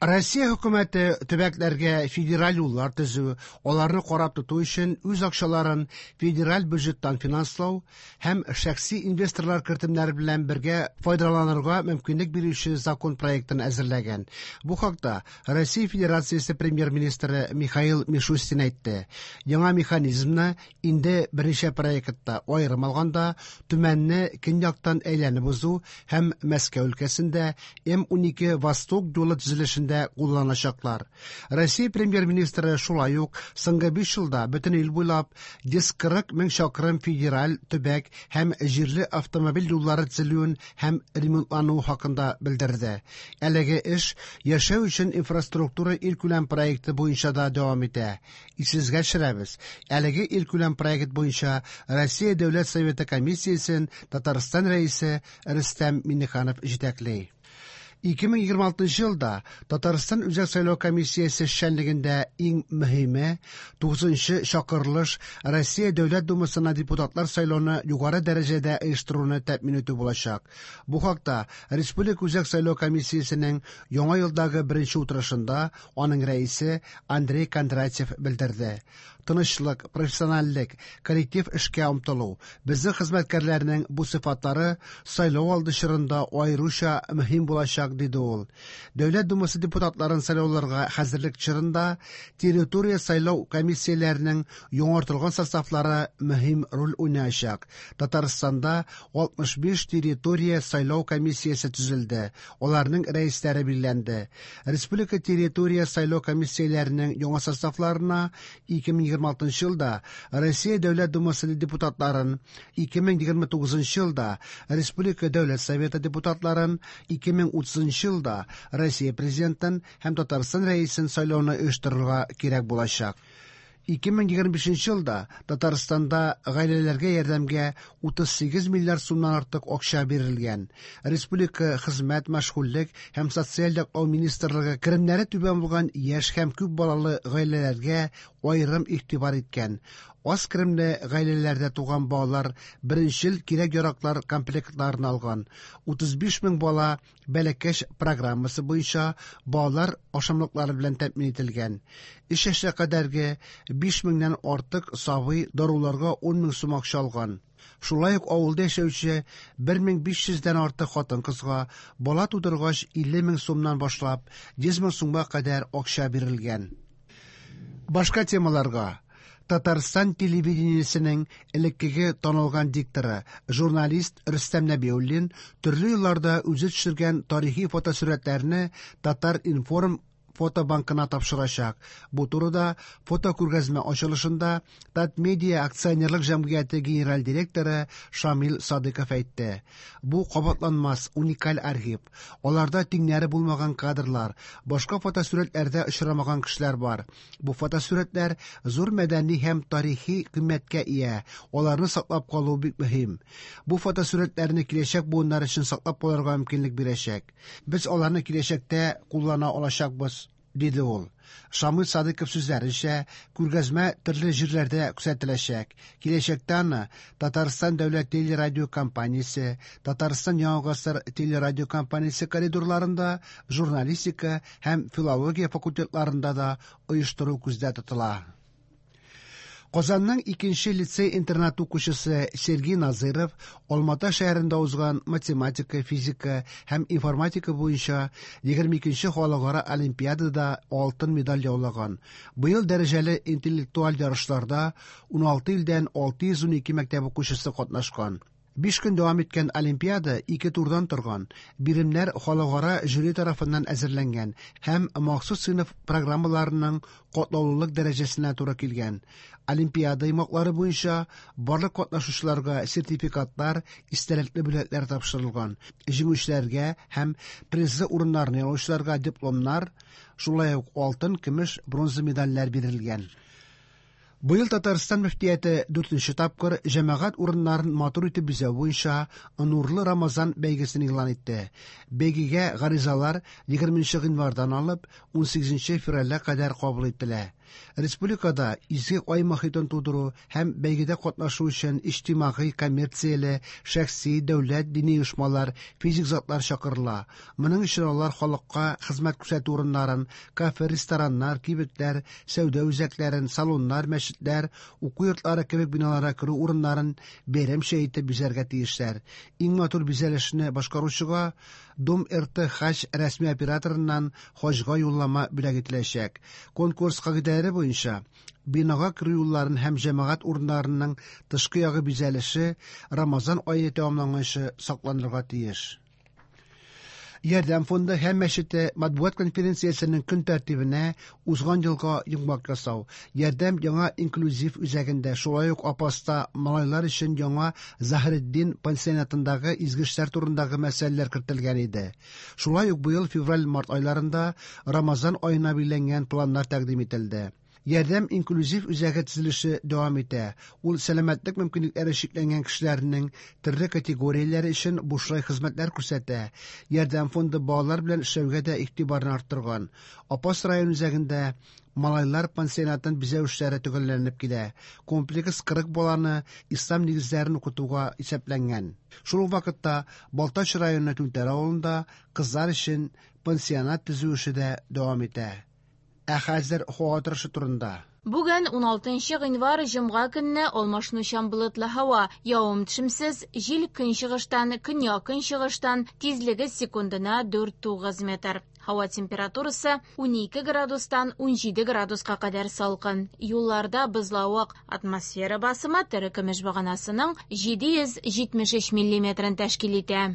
Россия хөкүмәте төбәкләргә федераль юллар төзү, аларны карап тоту өчен үз акчаларын федераль бюджеттан финанслау һәм шәхси инвесторлар кертемнәре белән бергә файдаланырга мөмкинлек бирүче закон проектын әзерләгән. Бу хакта Россия Федерациясе премьер-министры Михаил Мишустин әйтте. Яңа механизмны инде берничә проектта, аерым алганда, Төмәнне көньяктан әйләнеп узу һәм Мәскәү өлкәсендә М-12 Восток юлы төзелешендә кулланачаклар. Россия премьер-министры шулай ук соңгы 5 елда бөтен ил буйлап 140 мең чакрым федераль, төбәк һәм җирле автомобиль юллары төзелүен һәм ремонтлануы хакында белдерде. Әлеге эш Яшәү өчен инфраструктура илкүләм проекты буенча да дәвам итә. Исегезгә төшерәбез, әлеге илкүләм проект буенча Россия Дәүләт Советы комиссиясен Татарстан Рәисе Рөстәм Миңнеханов җитәкли. 2026 елда Татарстан Үзәк сайлау комиссиясе эшчәнлегендә иң мөһиме 9нчы чакырылыш Россия Дәүләт Думасына депутатлар сайлауны югары дәрәҗәдә оештыруны тәэмин итү булачак. Бу хакта Республика Үзәк сайлау комиссиясенең яңа елдагы беренче утырышында аның рәисе Андрей Кондратьев белдерде. Тынычлык, профессиональлек, коллектив эшкә омтылу – безнең хезмәткәрләрнең бу сыйфатлары сайлау алды чорында аеруча мөһим булачак, диде ул. Дәүләт Думасы депутатларын сайлауларга хәзерлек чорында территория сайлау комиссияләренең яңартылган составлары мөһим роль уйнаячак. Татарстанда 65 территория сайлау комиссиясе төзелде, аларның рәисләре билгеләнде. Республика территория сайлау комиссияләренең яңа составларына 2026 елда Россия Дәүләт Думасы депутатларын, 2029 елда Республика Дәүләт Советы депутатларын, 2030 елда Россия Президентын һәм Татарстан Рәисен сайлауны оештырырга кирәк булачак. 2025 елда Татарстанда гаиләләргә ярдәмгә 38 миллиард сумнан артык акча бирелгән. Республика Хезмәт, мәшгульлек һәм социаль яклау министрлыгы керемнәре түбән булган яшь һәм күп балалы гаиләләргә аерым игътибар иткән. Аз керемле гаиләләрдә туган балалар беренчел кирәк-яраклар комплектларын алган. 35 мең бала Бәләкәч программасы буенча балалар ашамлыклары белән тәэмин ителгән. Өч яшькә кадәрге 5 меңнән артык сабый даруларга 10 мең сум акча алган. Шулай ук авылда яшәүче 1500 дән артык хатын-кызга бала тудыргач 50 мең сумнан башлап 100 мең сумга кадәр акча бирелгән. Башка темаларга Татарстан телевидениесенең элеккеге танылган дикторы, журналист Рөстәм Нәбиуллин төрле елларда үзе төшергән тарихи фотосурәтләрне Татар-информ фотобанкына тапшырачак. Бу турыда фотокүргәзмә ачылышында Татмедиа акционерлык җәмгыяте генераль директоры Шамил Садыков әйтте. Бу кабатланмас, уникаль архив. Аларда тиңнәре булмаган кадрлар, башка фотосурәтләрдә очрамаган кешеләр бар. Бу фотосурәтләр зур мәдәни һәм тарихи кыйммәткә ия, аларны саклап калу бик мөһим. Бу фотосурәтләрне киләчәк буыннар өчен саклап калырга мөмкинлек бирәчәк. Без аларны киләчәктә куллана алачакбыз, диде ул. Шамил Садыков сүзләренчә, күргәзмә төрле җирләрдә күрсәтеләчәк. Киләчәктә аны Татарстан дәүләт телерадиокомпаниясе, Татарстан Яңа гасыр телерадиокомпаниясе коридорларында, журналистика һәм филология факультетларында да оештыру күздә тотыла. Казанның икенче лицей-интернат укучысы Сергей Назыров Алмата шәһәрендә узган математика, физика һәм информатика буенча 22 нче халыкара олимпиадада алтын медаль яулаган. Быел дәрәҗәле интеллектуаль ярышларда 16 илдән 612 мәктәп укучысы катнашкан. Биш көн дәвам иткән олимпиада ике турдан торган, биремнәр халыкара жюри тарафыннан әзерләнгән һәм махсус сыйныф программаларының катлаулылык дәрәҗәсенә туры килгән. Олимпиада йомгаклары буенча барлык катнашучыларга сертификатлар, истәлекле бүләкләр тапшырылган. Җиңүчеләргә һәм призлы урыннарны яулаучыларга дипломнар, шулай ук алтын, көмеш, бронза медальләр бирелгән. Быел Татарстан мөфтияте дүртенче тапкыр җәмәгать урыннарын матур итеп бизәү буенча Нурлы Рамазан бәйгесен игълан итте. Бәйгегә гаризалар 20 гыйнвардан алып 18 февральгә кадәр кабул ителә. Республикада изге ай мохитын тудыру һәм бәйгедә катнашу өчен иҗтимагый, коммерцияле, шәхси, дәүләт, дини оешмалар, физик затлар чакырыла. Моның өчен алар халыкка хезмәт күрсәтү урыннарын, кафе, рестораннар, кибетләр, сәүдә үзәкләрен, салоннар, мәчетләр, уку йортлары кебек биналарга керү урыннарын бәйрәмчә итеп бизәргә тиешләр. Иң матур бизәлешне башкаручыга Дом РТ Хаҗ рәсми операторыннан хаҗга юллама бүләк ителәчәк. Конкурс кагыйдәләре буенча, бинага керү юлларын һәм җәмәгать урыннарының тышкы ягы бизәлеше Рамазан ае тәмамланганчы сакланырга тиеш. Ярдәм фонды һәм мәчете матбугат конференциясенең көн тәртибенә узган елга йомгак ясау, Ярдәм яңа инклюзив үзәгендә, шулай ук Апаста малайлар өчен яңа Заһретдин пансионатындагы изге эшләр турындагы мәсьәләләр кертелгән иде. Шулай ук быел февраль-март айларында Рамазан аена билгеләнгән планнар тәкъдим ителде. Ярдәм инклюзив үзәге төзелеше дәвам итә. Ул сәламәтлек мөмкинлекләре чикләнгән кешеләрнең төрле категорияләре өчен бушлай хезмәтләр күрсәтә. Ярдәм фонды балалар белән эшләүгә дә игътибарны арттырган. Апас район үзәгендә малайлар пансионатын бизәү эшләре төгәлләнеп килә. Комплекс 40 баланы ислам нигезләрен укытуга исәпләнгән. Шул ук вакытта Балтач районы Түнтәр авылында кызлар өчен пансионат төзү эше дә дәвам итә. Ә хәзер һава торышы турында. Бүген, 16 гыйнвар, җомга көнне алмашынучан болытлы һава, явым-төшемсез, җил көнчыгыштан, көньяк-көнчыгыштан, тизлеге секундына 4-9 метр. Һава температурасы 12 градустан 17 градуска кадәр салкын. Юлларда бозлавык, атмосфера басымы терекөмеш баганасының 773 миллиметрын тәшкил итә.